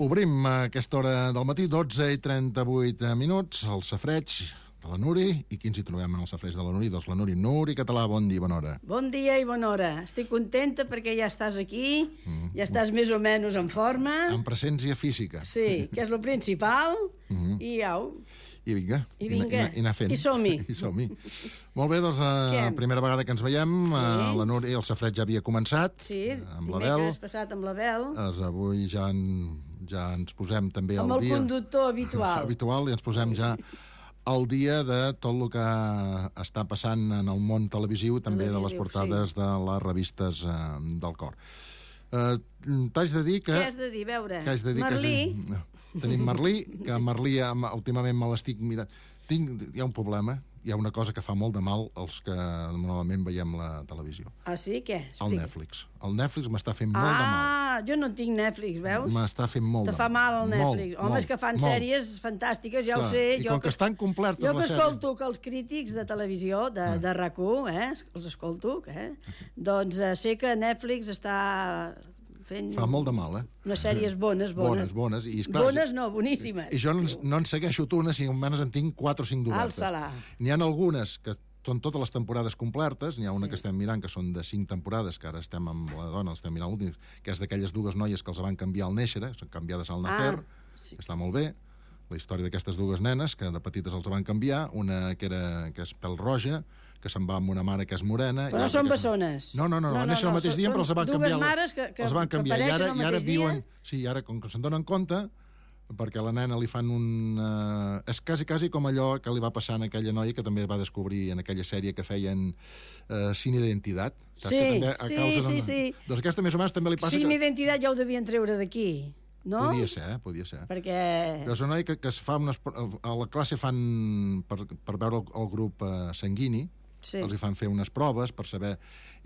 Obrim a aquesta hora del matí, 12:38 minuts, el safareig de la Nuri. I qui ens hi trobem en el safareig de la Nuri? Doncs la Nuri. Nuri Català, bon dia i bona hora. Bon dia i bona hora. Estic contenta perquè ja estàs aquí, ja estàs més o menys en forma. En presència física. Sí, que és el principal. I au. I vinga. I vinga. I anar fent. I som-hi. I som-hi. Molt bé, doncs la primera vegada que ens veiem, la Nuri, el safareig ja havia començat. Sí, amb la Bel. dimecres passat amb la Bel. Avui ja ens posem també al dia. Amb el conductor habitual. I ens posem ja al dia de tot el que està passant en el món televisiu, també de les portades de les revistes del cor. T'haig de dir que... Què has de dir? Veure, Merlí. Tenim Merlí, que Merlí últimament me l'estic mirant. Hi ha un problema, hi ha una cosa que fa molt de mal als que normalment veiem la televisió. Ah, sí? Què? El Netflix. El Netflix m'està fent molt de mal. Ah, jo no tinc Netflix, veus? M'està fent molt de mal. Te fa mal el Netflix. Homes que fan sèries fantàstiques, ja ho sé. I com que estan complertes les sèries... Jo que escolto que els crítics de televisió, de RAC1, els escolto, doncs sé que Netflix està fent... Fa molt de mal, unes sèries bones. Bones. I, esclar, bones no, boníssimes. I jo no en segueixo una, si almenys en tinc 4 o 5 d'obertes. Alça-la. N'hi ha algunes que són totes les temporades complertes, n'hi ha una que estem mirant que són de 5 temporades, que ara estem amb la dona, estem mirant l'últim, que és d'aquelles dues noies que els van canviar al néixer, són canviades al nacer, que està molt bé, la història d'aquestes dues nenes, que de petites els van canviar, una que és pèl roja, que se'n va amb una mare que és morena... Però no són bessones. No, van néixer el mateix dia, però els van canviar. Dues mares que apareixen el mateix dia. Sí, ara, com que se'n donen compte, perquè a la nena li fan és quasi com allò que li va passar a aquella noia que també es va descobrir en aquella sèrie que feien Sin Identitat. Sí. Doncs aquesta més o menys també li passa... Sin Identitat ja ho devien treure d'aquí, no? Podia ser. Perquè... És una noia que es fa a la classe fan per veure el grup sanguini, els hi fan fer unes proves per saber...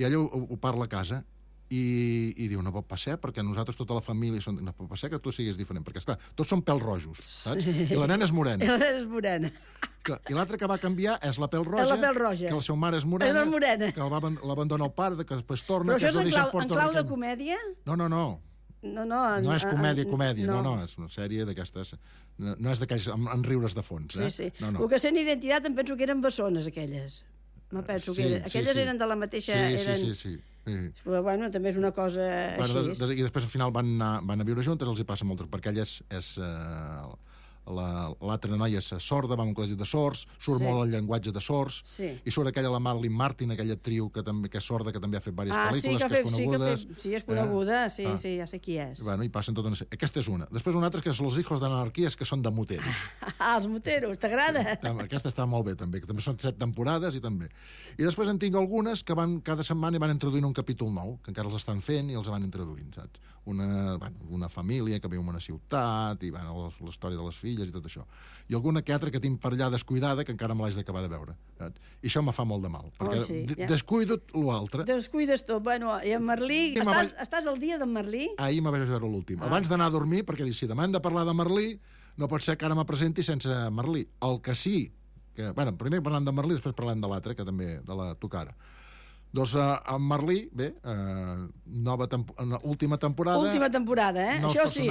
I ella ho parla a casa i diu, no pot passar, perquè nosaltres, tota la família, no pot passar que tu siguis diferent, perquè, esclar, tots són pèl rojos, saps? I la nena és morena. I l'altra que va canviar és la pèl roja, que la seva mare és morena, que l'abandona el pare, que després torna... Però això és en clau de comèdia? No. No és comèdia, no, és una sèrie d'aquestes... No és d'aquells amb riures de fons, Sí. El que sent Identitat em penso que eren bessones, aquelles. No penso que... Aquelles eren de la mateixa... Sí. Però, bueno, també és una cosa així. I després, al final, van a viure juntes, els hi passa molt, perquè ella és l'altra noia és sorda, va a un col·legi de sords, surt molt el llenguatge de sords, i surt la Marilyn Martin, aquella actriu que és sorda, que també ha fet diverses pel·lícules, que és coneguda. Sí, és coneguda, sí, ja sé qui és. I passen totes... Aquesta és una. Després una altra que és Los hijos de l'anarquia, que són de moteros. Els moteros, t'agrada? Aquesta està molt bé, també, que també són 7 temporades, i també. I després en tinc algunes que cada setmana van introduint un capítol nou, que encara els estan fent i els van introduint, saps? Una família que viu en una ciutat, i la història de les filles, i tot això. I alguna que altra que tinc per allà descuidada que encara me l'haig d'acabar de veure. Saps? I això me fa molt de mal, perquè descuido l'altre. Descuides tot. Bueno, i en Merlí... Estàs al dia d'en Merlí? Ahir me vaig veure l'últim. Abans d'anar a dormir, perquè dic, si demà hem de parlar de Merlí, no pot ser que ara me presenti sense Merlí. El que sí, primer parlant de Merlí, després parlem de l'altre, que també, de la Tucara. Doncs en Merlí, bé, última temporada... Última temporada, Això sí,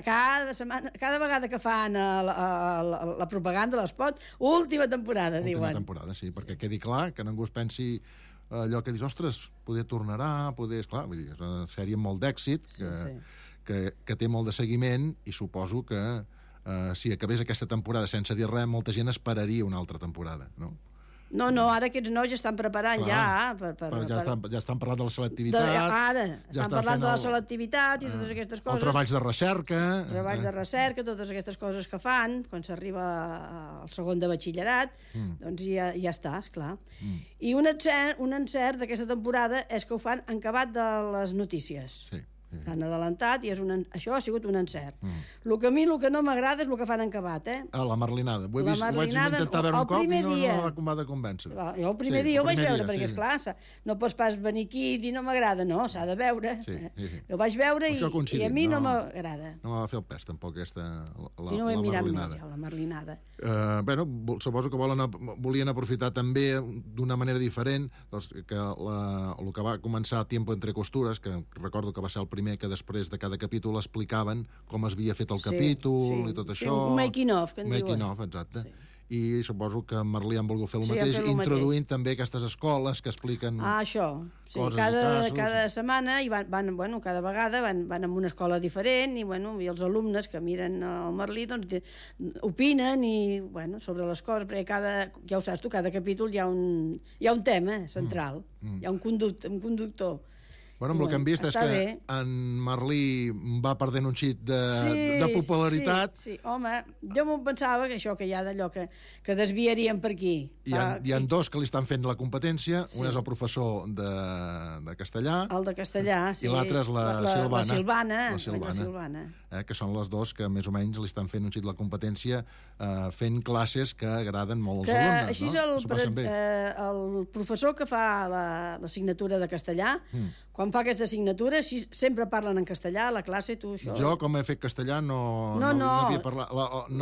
cada vegada que fan la propaganda, l'espot, última temporada, diuen. Última temporada, sí, perquè quedi clar que ningú es pensi allò que dius, ostres, poder tornarà, esclar, vull dir, és una sèrie amb molt d'èxit, que té molt de seguiment, i suposo que si acabés aquesta temporada sense dir res, molta gent esperaria una altra temporada, no? No, ara aquests nois estan preparant ja estan parlant de la selectivitat, estan parlant de la selectivitat i totes aquestes coses, el treballs de recerca, totes aquestes coses que fan quan s'arriba al segon de batxillerat, doncs ja està, esclar. I un encert d'aquesta temporada és que ho fan en acabat de les notícies. L'han adelantat i això ha sigut un encert. El que a mi el que no m'agrada és el que fan en acabat, la marlinada. Ho vaig intentar veure un cop i no m'ha de convèncer. Jo el primer dia ho vaig veure, perquè esclar, no pots pas venir aquí i dir no m'agrada, no, s'ha de veure. Ho vaig veure i a mi no m'agrada. No m'ha de fer el pes, tampoc, aquesta I no ho he mirat més, la marlinada. Suposo que volien aprofitar també d'una manera diferent que el que va començar Tiempo entre costures, que recordo que va ser el primer primer que després de cada capítol explicaven com es havia fet el capítol i tot això. Un making-of, que en diuen. Making-of, exacte. I suposo que Merlí han volgut fer el mateix, introduint també aquestes escoles que expliquen això. Coses i casos. Cada setmana, cada vegada van a una escola diferent i els alumnes que miren el Merlí opinen sobre les coses, perquè ja ho saps tu, cada capítol hi ha un tema central, hi ha un conductor. Amb el que hem vist és que en Merlí va perdent un xic de popularitat. Sí, home, jo m'ho pensava que hi ha d'allò que desviarien per aquí. Hi ha dos que li estan fent la competència, un és el professor de castellà. El de castellà, sí. I l'altre és la Silvana. Que són les dos que més o menys li estan fent un xic la competència, fent classes que agraden molt als alumnes. Així és el professor que fa l'assignatura de castellà, quan fa aquesta assignatura, sempre parlen en castellà a la classe, tu això... Jo, com he fet castellà, no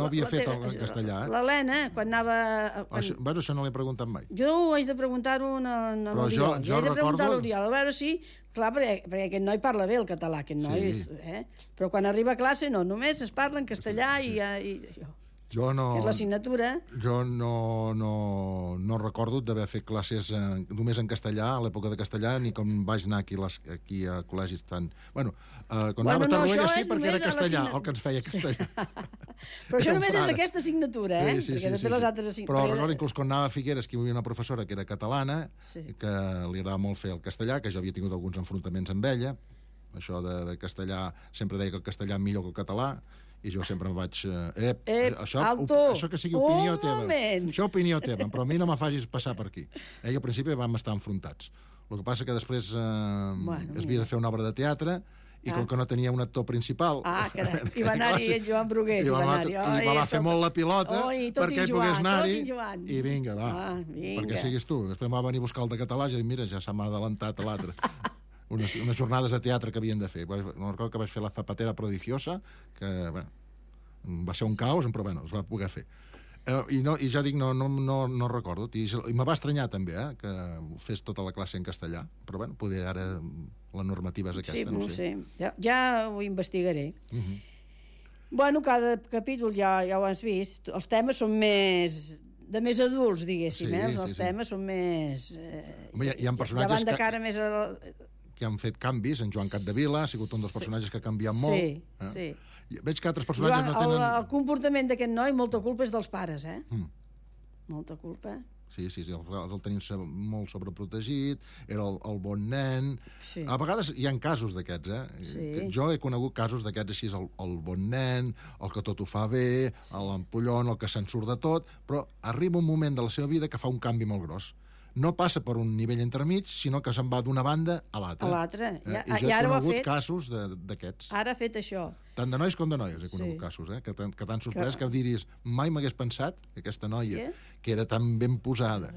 havia fet en castellà. L'Helena, quan anava... Això no l'he preguntat mai. Jo ho haig de preguntar-ho a l'Oriol. Jo recordo... A veure si... Clar, perquè aquest noi parla bé el català, aquest noi. Però quan arriba a classe, no, només es parla en castellà i això. Jo no... Que és l'assignatura. Jo no recordo d'haver fet classes només en castellà, a l'època de castellà, ni com vaig anar aquí a col·legis tan... Quan anava a Torroella sí, perquè era castellà, el que ens feia castellà. Però això només és aquesta assignatura, perquè després les altres assignatures... Però recordo inclús quan anava a Figueres, que hi havia una professora que era catalana, que li agradava molt fer el castellà, que jo havia tingut alguns enfrontaments amb ella, això de castellà, sempre deia que el castellà millor que el català, i jo sempre em vaig... això que sigui opinió teva. Això opinió teva, però a mi no me facis passar per aquí. I al principi vam estar enfrontats. El que passa que després es havia de fer una obra de teatre i com que no tenia un actor principal... I va anar-hi en Joan Brugués. I va fer molt la pilota perquè pogués anar-hi. I vinga, va, perquè siguis tu. Després va venir a buscar el de català i ja dic, mira, ja se m'ha adelantat a l'altre. Unes jornades de teatre que havien de fer. No recordo que vaig fer la Zapatera Prodigiosa, que va ser un caos, però es va poder fer. I ja dic, no recordo. I me va estranyar també, que fes tota la classe en castellà. Però poder ara la normativa és aquesta, no sé. Sí, ja ho investigaré. Cada capítol ja ho has vist. Els temes són de més adults, diguéssim. Els temes són més... Hi ha personatges de cara més que han fet canvis. En Joan Capdevila ha sigut un dels personatges que ha canviat molt. Sí. Veig que altres personatges no tenen... El comportament d'aquest noi, molta culpa és dels pares, Molta culpa. Sí, el tenim molt sobreprotegit, era el bon nen... A vegades hi ha casos d'aquests, Jo he conegut casos d'aquests així, el bon nen, el que tot ho fa bé, l'empollon, el que se'n surt de tot, però arriba un moment de la seva vida que fa un canvi molt gros. No passa per un nivell entremig, sinó que se'n va d'una banda a l'altra. I jo he conegut casos d'aquests. Ara ha fet això. Tant de nois com de noies he conegut casos, que t'han sorprès, que diries, mai m'hagués pensat que aquesta noia, que era tan ben posada,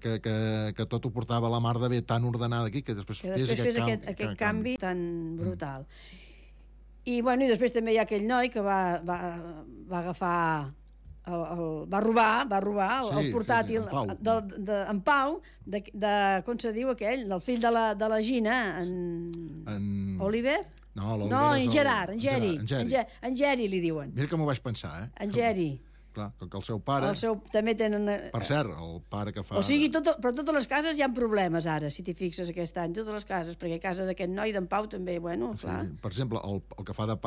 que tot ho portava a la mar de bé, tan ordenada aquí, que després fes aquest canvi tan brutal. I després també hi ha aquell noi que va agafar... va robar el portàtil en Pau, com se diu aquell, del fill de la Gina, en Oliver? No, en Gerard, en Geri li diuen. Mira que m'ho vaig pensar, En Geri. Clar, que el seu pare... També tenen... Per cert, el pare que fa... O sigui, però totes les cases hi ha problemes ara, si t'hi fixes aquest any, totes les cases, perquè a casa d'aquest noi, d'en Pau, també, clar. Per exemple, el que fa de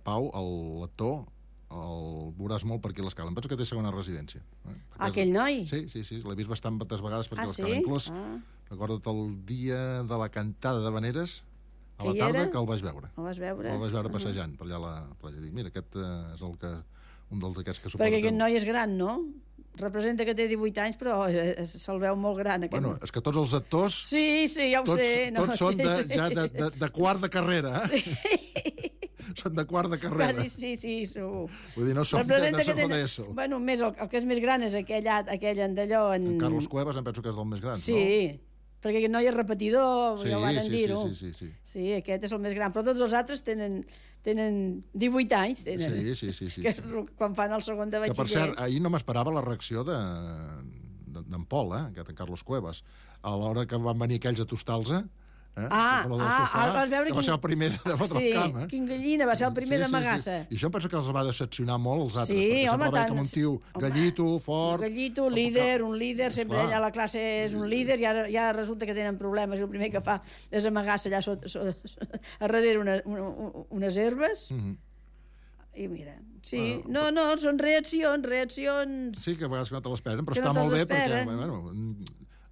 Pau, l'actor, el veuràs molt per aquí a l'escala. Em penso que té segona residència. Aquell noi? Sí, l'he vist bastantes vegades per aquí a l'escala. Inclús, recorda't el dia de la cantada de Veneres, a la tarda, que el vaig veure. El vas veure? El vaig veure passejant per allà a la platja. Dic, mira, aquest és un dels d'aquests que suposa... Perquè aquest noi és gran, no? Representa que té 18 anys, però se'l veu molt gran. És que tots els actors... Sí, ja ho sé. Tots són ja de quart de carrera, Són de quart de carrera. Sí, segur. Vull dir, no són de segon d'ESO. El que és més gran és aquell en d'allò... En Carlos Cuevas em penso que és el més gran, no? Sí, perquè aquest noi és repetidor, ja ho van dir-ho. Sí. Sí, aquest és el més gran, però tots els altres tenen 18 anys. Sí. Que és quan fan el segon de batxiller. Que, per cert, ahir no m'esperava la reacció d'en Pol, aquest en Carlos Cuevas. A l'hora que van venir aquells a tostar-los, Vas veure va ser el primer de fotre el camp. Quin gallina, va ser el primer d'amagar-se. I això em penso que els va decepcionar molt els altres, perquè sempre veia com un tio gallito, fort... Gallito, un líder, sempre ell a la classe és un líder, i ara resulta que tenen problemes, i el primer que fa és amagar-se allà a darrere unes herbes. I mira, sí, no, són reaccions... Sí, que a vegades que no te l'esperen, però està molt bé perquè,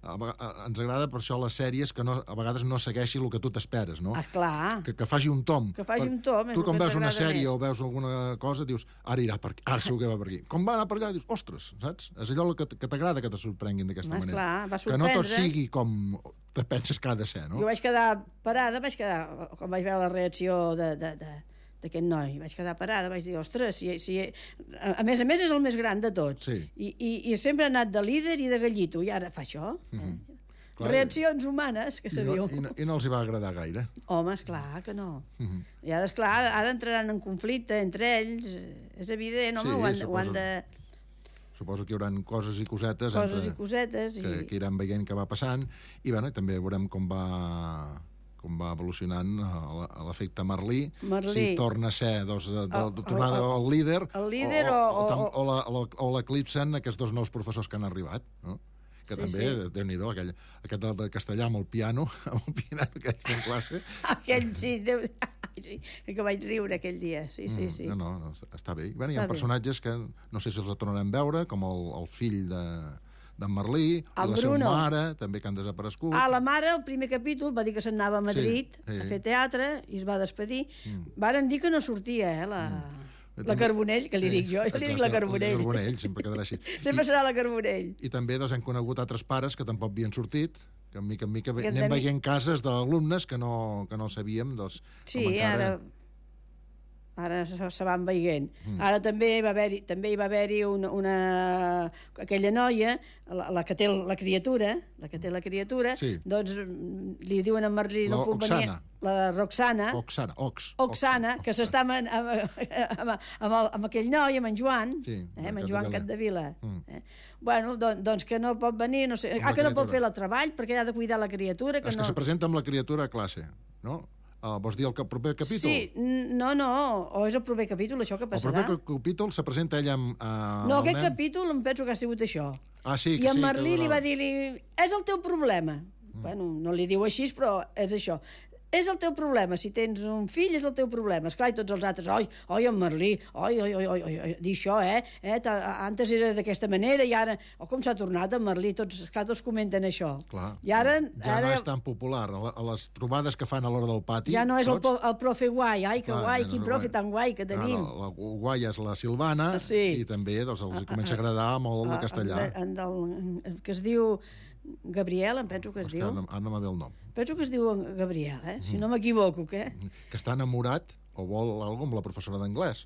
ens agrada per això les sèries que a vegades no segueixi el que tu t'esperes, no? Clar. Que faci un tom. Que faci un tom. Tu quan veus una sèrie o veus alguna cosa dius, ara irà per aquí, ara segur que va per aquí. Com va anar per allà, dius, ostres, saps? És allò que t'agrada que te sorprenguin d'aquesta manera. Clar, va sorprendre. Que no tot sigui com te penses que ha de ser, no? Jo vaig quedar parada, quan vaig veure la reacció d'aquest noi, vaig quedar parada, vaig dir, ostres, a més és el més gran de tots, i sempre ha anat de líder i de gallito, i ara fa això. Reaccions humanes, que se diu. I no els hi va agradar gaire. Home, esclar que no. I ara, esclar, ara entraran en conflicte entre ells, és evident, home, ho han de... Suposo que hi haurà coses i cosetes que iran veient què va passant, i també veurem com va evolucionant l'efecte Merlí, si torna a ser tornada al líder o l'eclipsen aquests dos nous professors que han arribat, no? Que també, Déu-n'hi-do, aquest de castellà amb el piano que hi ha en classe. Aquell, sí, que vaig riure aquell dia, sí. No, està bé. Hi ha personatges que no sé si els tornarem a veure, com el fill d'en Merlí, i la seva mare, també, que han desaparegut. La mare, el primer capítol, va dir que se'n anava a Madrid a fer teatre i es va despedir. Varen dir que no sortia, la Carbonell, que li dic jo li dic la Carbonell. La Carbonell, sempre quedarà així. Sempre serà la Carbonell. I també hem conegut altres pares que tampoc havien sortit, que en mica anem veient cases d'alumnes que no sabíem. Sí, ara se van veient. Ara també hi va haver-hi aquella noia, la que té la criatura, doncs li diuen a Merlí, no puc venir, la Roxana, que s'està amb aquell noi, amb en Joan, amb en Joan Capdevila. Bueno, doncs que no pot venir, que no pot fer el treball perquè ha de cuidar la criatura. És que se presenta amb la criatura a classe, no? Vols dir el proper capítol? Sí, no, o és el proper capítol, això que passarà? El proper capítol se presenta ella amb... No, aquest capítol em penso que ha sigut això. Sí, i en Merlí li va dir, és el teu problema. Bueno, no li diu així, però és això. És el teu problema, si tens un fill és el teu problema. Esclar, i tots els altres, oi, en Merlí, dir això, antes era d'aquesta manera i ara, com s'ha tornat en Merlí, tots comenten això. Clar, ja no és tan popular, a les trobades que fan a l'hora del pati. Ja no és el profe guai, que guai, quin profe tan guai que tenim. La guai és la Silvana, i també els comença a agradar molt el castellà. Que es diu... Gabriel, em penso que es diu. Ara no me ve el nom. Penso que es diu Gabriel, si no m'equivoco, què? Que està enamorat o vol alguna cosa amb la professora d'anglès.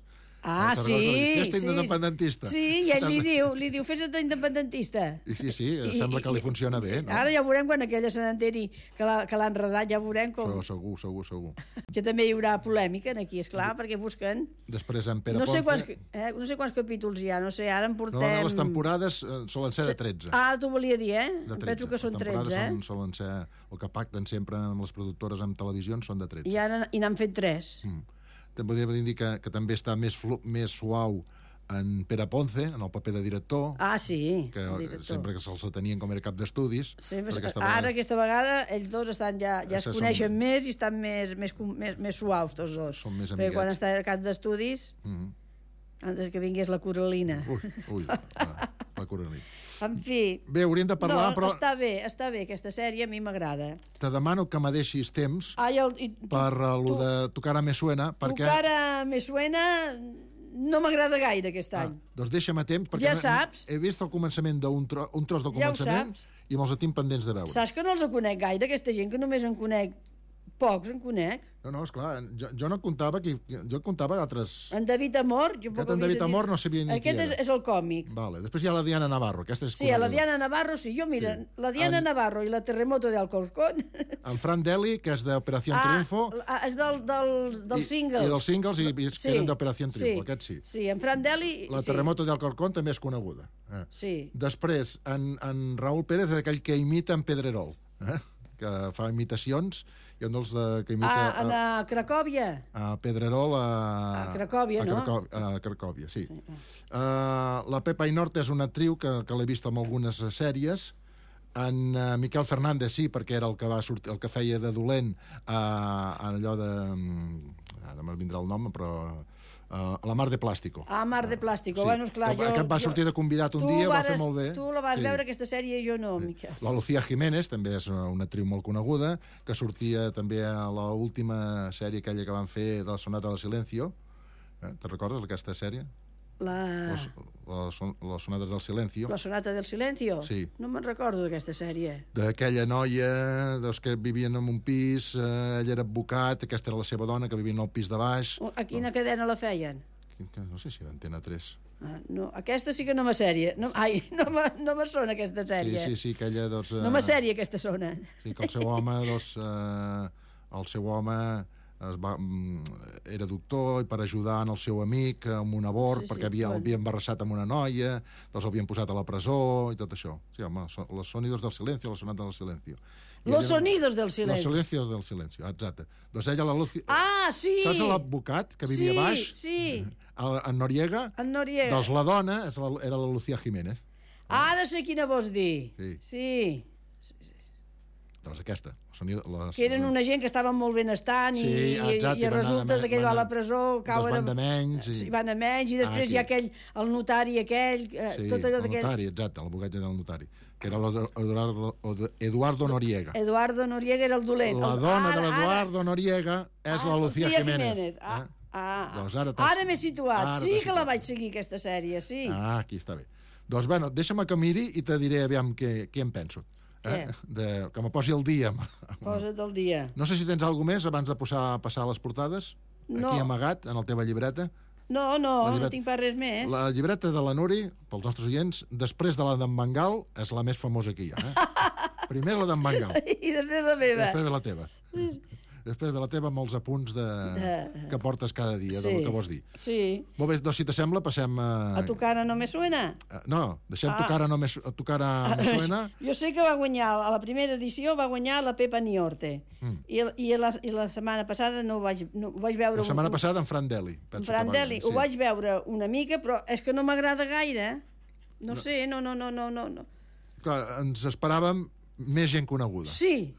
Sí. Fes-te independentista. Sí, i ell li diu, fes-te independentista. Sí, sembla que li funciona bé, no? Ara ja veurem quan aquella se n'enteri que l'ha enredat, ja veurem com... Segur. Que també hi haurà polèmica aquí, esclar, perquè busquen... Després en Pere Ponce... No sé quants capítols hi ha, no sé, ara en portem... No, les temporades solen ser de 13. T'ho volia dir, De 13. Penso que són 13, Les temporades solen ser... El que pacten sempre amb les productores amb televisions són de 13. I ara n'han fet 3. També podria dir que també està més suau en Pere Ponce, en el paper de director. Sí, que sempre que se'ls tenien com era cap d'estudis. Ara, aquesta vegada, ells dos estan ja es coneixen més i estan més suaus, tots dos. Són més amiguets. Perquè quan està a cap d'estudis, antes que vingués la Coralina. Ui, la Coralina. En fi... Bé, hauríem de parlar, però... Està bé, aquesta sèrie a mi m'agrada. Te demano que me deixis temps per lo de Tu cara me suena, perquè... Tu cara me suena no m'agrada gaire aquest any. Doncs deixa'm temps, perquè ja saps. He vist el començament un tros del començament i me'ls tinc pendents de veure. Saps que no els conec gaire, aquesta gent, que només en conec pocs, en conec. No, esclar, jo no comptava jo comptava altres... En David Amor... En David Amor no sabia ni qui era. Aquest és el còmic. Vale. Després hi ha la Diana Navarro, aquesta és... Sí, la Diana Navarro, sí. Jo, mira, la Diana Navarro i la Terremoto de Alcorcón... En Fran Deli, que és d'Operació Triunfo... És dels singles. I dels singles, que eren d'Operació Triunfo, aquest sí. Sí, en Fran Deli... La Terremoto de Alcorcón també és coneguda. Sí. Després, en Raúl Pérez, aquell que imita en Pedrerol, que fa imitacions, i un dels que imita... A Cracòvia. A Pedrerol, a Cracòvia, no? A Cracòvia, sí. La Pepa Inort és una actriu que l'he vist en algunes sèries. En Miquel Fernández sí, perquè era el que va sortir, el que feia de dolent allò de... Ara me'l vindrà el nom, però... La Mar de Plàstico. Mar de Plàstico. Sí. Bueno, esclar, que va sortir de convidat un dia, va fer molt bé. Tu la vas veure, aquesta sèrie, i jo no, Miquel. La Lucía Jiménez, també és una actriu molt coneguda, que sortia també a l'última sèrie aquella que van fer de la Sonata del Silencio. Te'n recordes d'aquesta sèrie? Les Sonates del Silencio. La Sonata del Silencio? Sí. No me'n recordo d'aquesta sèrie. D'aquella noia que vivien en un pis, ell era advocat, aquesta era la seva dona, que vivien al pis de baix. A quina cadena la feien? No sé si era Antena 3. No, aquesta sí que no me sèrie. No me sona aquesta sèrie. Sí, aquella, doncs... No me sèrie aquesta sona. Sí, que el seu home, doncs... El seu home... era doctor i per ajudar el seu amic amb un abort, perquè havia embarassat amb una noia, doncs l'havien posat a la presó i tot això. Sí, home, los sonidos del silencio, la sonata del silencio. Los sonidos del silencio. Los silencios del silencio, exacte. Doncs ella, la Lucy... sí! Saps l'advocat que vivia baix? Sí. En Noriega? En Noriega. Doncs la dona era la Lucía Jiménez. Ara sé quina vols dir. Sí. Doncs aquesta. Que eren una gent que estaven molt benestant i resulta que ell va a la presó, van de menys. Van a menys, i després hi ha el notari aquell... Sí, el notari, exacte, l'advocat del notari, que era Eduardo Noriega. Eduardo Noriega era el dolent. La dona de l'Eduardo Noriega és la Lucía Jiménez. Ara m'he situat. Sí que la vaig seguir, aquesta sèrie, sí. Aquí està bé. Doncs, bueno, deixa'm que miri i te diré aviam què en penso. Que me posi al dia. Posa't al dia. No sé si tens alguna més abans de passar les portades? Aquí amagat, en la teva llibreta? No tinc pas res més. La llibreta de la Nuri, pels nostres oients, després de la d'en Bengal, és la més famosa que hi ha. Primer la d'en Bengal. I després la meva. Després ve la teva. Després ve la teva amb els apunts que portes cada dia, del que vols dir. Sí. Molt bé, doncs si t'assembla, passem a... A Tu cara no me suena? No, deixem Tu cara me suena. Jo sé que va guanyar, a la primera edició va guanyar la Pepa Niorte. I la setmana passada no ho vaig veure... La setmana passada en Fran Deli. En Fran Deli, ho vaig veure una mica, però és que no m'agrada gaire. No sé, no. Clar, ens esperàvem més gent coneguda. Sí.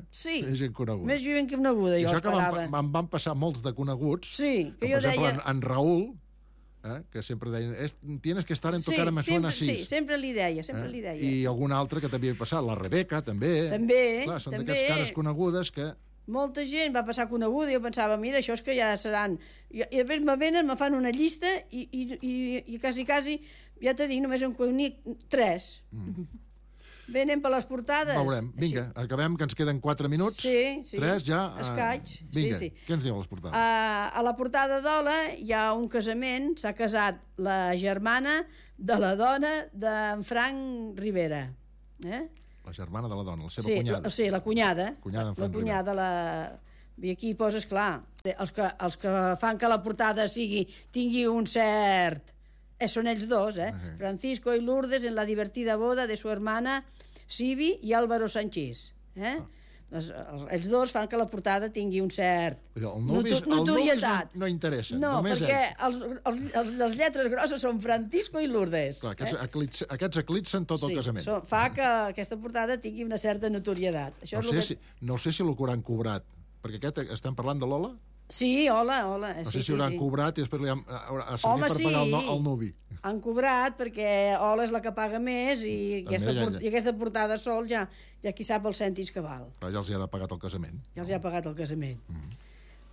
Sí, més gent coneguda, jo esperava. I això que van passar molts de coneguts, que jo deia... en Raül, que sempre deia, tienes que estar en Tu cara me suena así. Sí, sempre li deia. I algun altre que també havia passat, la Rebeca, també. Clar, són d'aquestes cares conegudes que... Molta gent va passar coneguda i jo pensava, mira, això és que ja seran... I després me venen, me fan una llista i quasi, ja t'he dit, només en conec 3. Bé, anem per les portades. Veurem. Vinga, acabem, que ens queden 4 minuts. Sí. 3 ja. Escaig. Vinga, què ens diu les portades? A la portada d'Ola hi ha un casament, s'ha casat la germana de la dona d'en Frank Rivera. La germana de la dona, la seva cunyada. Sí, la cunyada. Cunyada d'en Frank Rivera. I aquí poses, clar, els que fan que la portada tingui un cert... Són ells dos, Francisco y Lourdes en la divertida boda de su hermana Sibi i Álvaro Sanchís. Ells dos fan que la portada tingui un cert notorietat. No interessa, només ells. No, perquè les lletres grosses són Francisco i Lourdes. Clar, aquests eclipsen tot el casament. Fa que aquesta portada tingui una certa notorietat. No sé si l'ho hauran cobrat, perquè estem parlant de l'Ola? Sí, hola. No sé si hauran cobrat i després li han servit per pagar el nuvi. Han cobrat perquè Ola és la que paga més i aquesta portada sol ja qui sap els cèntims que val. Però ja els hi ha pagat el casament. Ja els hi ha pagat el casament.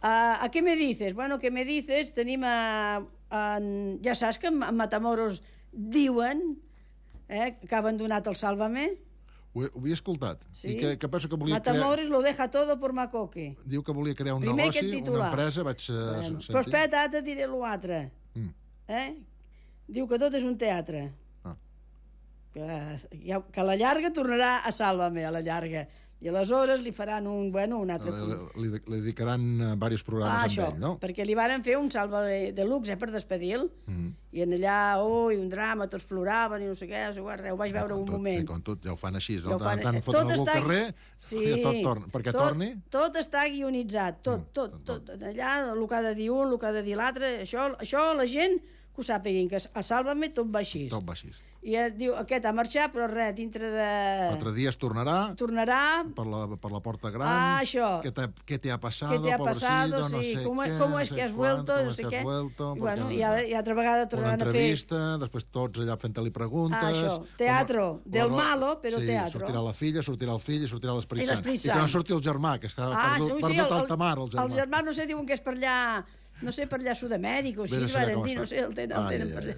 ¿A qué me dices? Bueno, ¿qué me dices? Tenim ja saps que a Matamoros diuen que ha abandonat el Sálvame. Ho havia escoltat. I que penso que volia Matamoros lo deja todo por Macoque. Diu que volia crear un negoci, una empresa, vaig sentir. Però espera, ara te diré l'altre. Diu que tot és un teatre. Que a la llarga tornarà a Sálvame, a la llarga. I aleshores li faran un altre... Li dedicaran diversos programes amb ell, no? Perquè li varen fer un salve de luxe per despedir-lo. I en allà, un drama, tots ploraven i no sé què, ho vaig veure un moment. Com tot, ja ho fan així, no? Tant foten algú al carrer perquè torni. Tot està guionitzat, tot. Allà, el que ha de dir un, el que ha de dir l'altre, això la gent que ho sàpiguin, que a Sálvame tot va així. Tot va així. I diu, aquest ha marxat, però res, dintre de... 4 dies tornarà per la porta gran. Això. ¿Qué te ha pasado, pobrecito? No sé ¿Cómo es que has vuelto? No sé què. I altra vegada tornaran a fer... Una entrevista, després tots allà fent-li preguntes... Això, teatro del malo, però teatro. Sortirà la filla, sortirà el fill i sortirà l'Esperit Sant. I que no surti el germà, que està perdut al tamar, el germà. El germà, no sé, diuen que és per allà... No sé, per allà a Sud-amèrica o així, varen dir, no sé, el tenen per allà.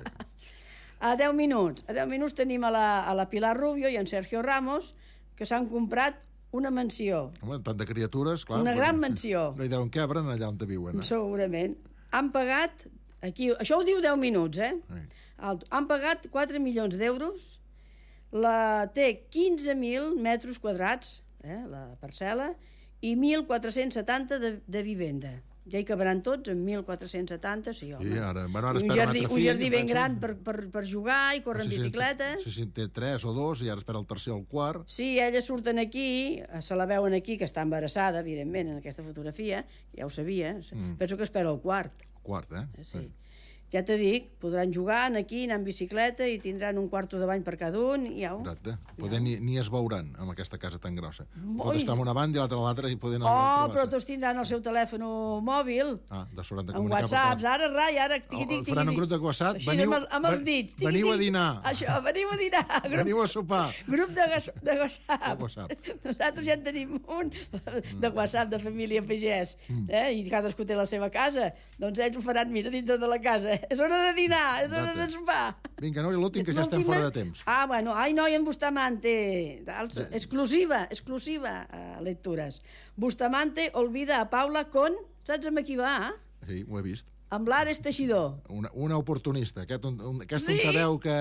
A 10 minuts tenim a la Pilar Rubio i en Sergio Ramos, que s'han comprat una mansió. Home, tant de criatures, clar. Una gran mansió. No hi deuen cabren allà on viuen. Segurament. Han pagat, aquí, això ho diu 10 minuts, han pagat 4 milions d'euros, té 15.000 metres quadrats, la parcel·la, i 1.470 de vivenda. Ja hi cabran tots, en 1.470, sí, home. Sí, ara espera un jardí ben gran per jugar i córrer en bicicleta. Si té 3 o 2 i ara espera el tercer o el quart. Sí, elles surten aquí, se la veuen aquí, que està embarassada, evidentment, en aquesta fotografia, ja ho sabia, penso que espera el quart. El quart, Sí. Ja t'ho dic, podran jugar aquí, anar en bicicleta i tindran un quarto de bany per cada un i au. Exacte. Ni es veuran amb aquesta casa tan grossa. Pot estar en una banda i l'altra a l'altra i poden... Però tots tindran el seu telèfon mòbil. De sort de comunicar. En WhatsApp, ara... Faran un grup de WhatsApp. Amb els dits. Veniu a dinar. Això, veniu a dinar. Veniu a sopar. Grup de WhatsApp. Nosaltres ja en tenim un de WhatsApp de família pagès. I cadascú té la seva casa. Doncs ells ho faran, mira, dintre de la casa. És hora de dinar, és hora de sopar. Vinga, no, i l'últim, que ja estem fora de temps. Bueno, noi, en Bustamante, exclusiva, lectures. Bustamante olvida a Paula con... Saps amb qui va? Sí, ho he vist. Amb l'Ares Teixidor. Una oportunista. Aquesta untadeu que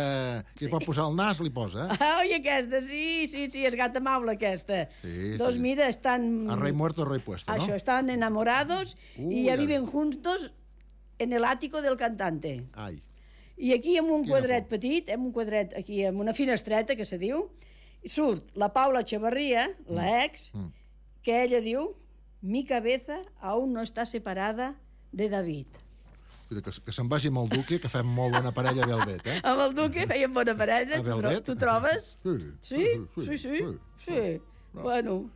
pot posar el nas, li posa. Oi, aquesta, sí, és gata maula, aquesta. Doncs mira, estan... A rei muerto, rei puesto, no? Això, estan enamorados i ja viven juntos en el ático del cantante. Ai. I aquí, en un quadret petit, aquí, en una finestreta, que se diu, surt la Paula Echevarría, la ex, que ella diu, mi cabeza aún no está separada de David. Que se'n vagi amb el Duque, que fem molt bona parella a Velvet, Amb el Duque feien bona parella, tu trobes? Sí. Bueno...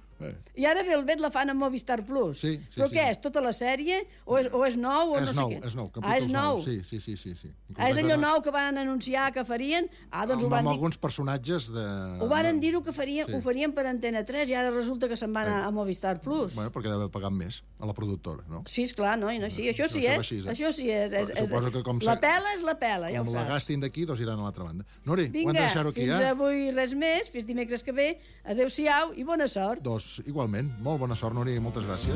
I ara Velvet la fan a Movistar Plus. Sí. Però què és? Tota la sèrie? O és nou? És nou. És nou? Sí. És allò nou que van anunciar que farien? Doncs ho van dir... Amb alguns personatges de... Ho van dir que ho farien per Antena 3 i ara resulta que se'n van a Movistar Plus. Bueno, perquè deu pagar més a la productora, no? Sí, esclar, no? Sí, això sí, Això sí és. Suposo que com... La pela és la pela, ja ho saps. Com la gastin d'aquí, doncs iran a l'altra banda. Nori, ho hem de deixar-ho aquí, fins avui res més, fins dimecres que ve. Adéu-siau i bona sort. Igualment, molt bona sort, Nori, moltes gràcies.